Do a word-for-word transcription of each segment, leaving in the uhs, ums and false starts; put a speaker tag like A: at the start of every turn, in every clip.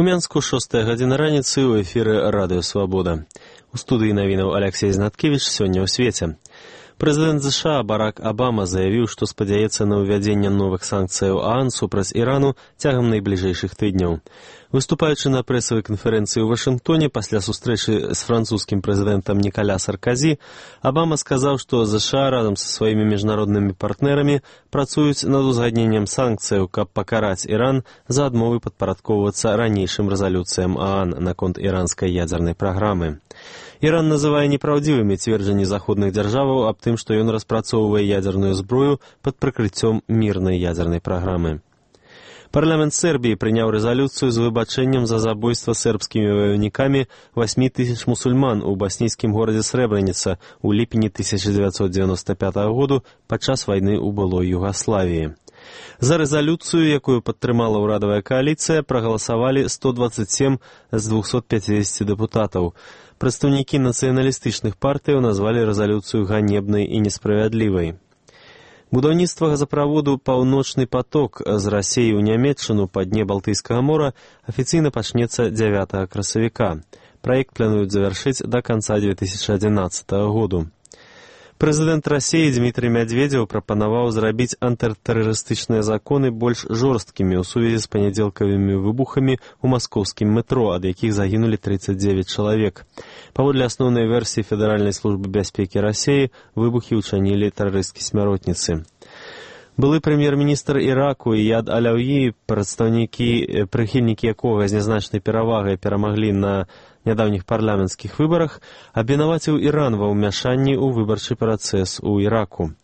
A: У Мянску шостая гадзіна раніцы ў эфіры радыё «Свабода». У студыі навінаў Алексей Знаткевич сёння ў свеце. Прэзідэнт ЗША Барак Абама заявіў, што спадзяецца на ўвядзенне новых санкцыяў ААН супраць Ірану цягам найбліжэйшых тыдняў. Выступаючы на прэсавай канферэнцыі ў Вашынгтоне пасля сустрэчы з французскім прэзідэнтам Нікаля Сарказі, Абама сказаў, што ЗША разам са сваімі міжнароднымі партнерамі працуюць над узгадненнем санкцыяў, каб пакараць Іран за адмовы падпарадкоўвацца ранейшым рэзалюцыям ААН наконт іранскай ядзернай праграмы. Іран называе непраўдзівымі цверджанні заходных дзяржаваў аб тым, што ён распрацоўвае ядзерную зброю пад прыкрыццём мірнай ядзернай праграмы. Парламент Сербіі прыняў рэзалюцыю з выбачэннем за забойства сербскімі ваёўнікамі васьмі тысяч мусульман у баснійскім горадзе Срэбраніца ў ліпені тысяча дзевяцьсот дзевяноста пятага году падчас вайны ў былой Югаславіі. За рэзалюцыю, якую падтрымала ўрадавая кааліцыя, прагаласавалі сто дваццаць сем з двухсот пяцідзесяці дэпутатаў. Прадстаўнікі нацыяналістычных партыяў назвалі рэзалюцыю ганебнай і несправядлівай. Будаўніцтва газаправоду «Паўночны поток» з Расіі ў Нямецчыну па дне Балтыйскага мора афіцыйна пачнецца дзявятага красавіка. Праект плануюць завяршыць да канца дзве тысячы адзінаццатага году. Прэзідэнт Расіі Дмітрый Мядзведзеў прапанаваў зрабіць антытэрарыстычныя законы больш жорсткімі ў сувязі з панядзелкавымі выбухамі ў маскоўскім метро, ад якіх загінулі трыццаць дзевяць чалавек. Паводле асноўнай версіі Федэральнай службы бяспекі Расіі, выбухі ўчынілі тэрарысцкія смяротніцы. Былы прэм'ер-міністр Іраку Ияд Алаўі, прадстаўнікі, прыхільнікі якога з нязначнай перавагай перамаглі на нядаўніх парламенцкіх выбарах, абвінаваціў Іран ва ўмяшанні ў выбарчы працэс у Іраку.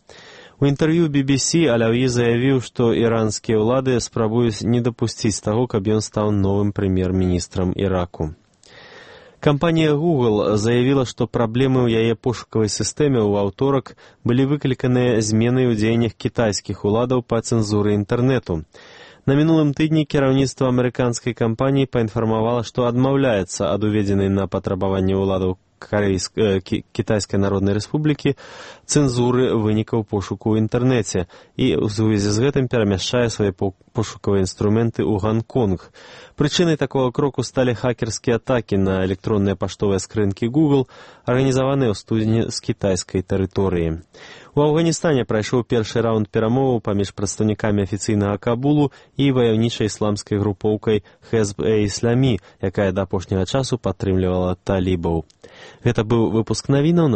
A: У інтэрв'ю би би сі Алаўі заявіў, што іранскія ўлады спрабуюць не дапусціць таго, каб ён стаў новым прэм'ер-міністрам Іраку. Кампанія Google заявіла, што праблемы ў яе пошукавай сістэме ў аўторак былі выкліканыя зменай у дзеяннях кітайскіх уладаў па цэнзуры інтэрнэту. На мінулым тыдні кіраўніцтва амерыканскай кампаніі паінфармавала, што адмаўляецца ад уведзенай на патрабаванне ўладаў Карейск... Кітайскай Народнай Рэспублікі цэнзуры вынікаў пошуку ў інтэрнэце і ў сувязі з гэтым перамяшчае свае пошукавыя інструменты ў Гонконг. Прычынай такого кроку сталі хакерскія атакі на электронныя паштовыя скрынкі Google, арганізаваныя ў студзені з кітайскай тэрыторыі. У Афганістане прайшоў першы раунд перамоваў паміж прадстаўнікамі афіцыйнага Кабулу і ваяўнічай ісламскай групоўкай Хезб-э-Ісламі, якая да апошняга часу падтрымлівала талібаў. Гэта быў выпуск навінаў.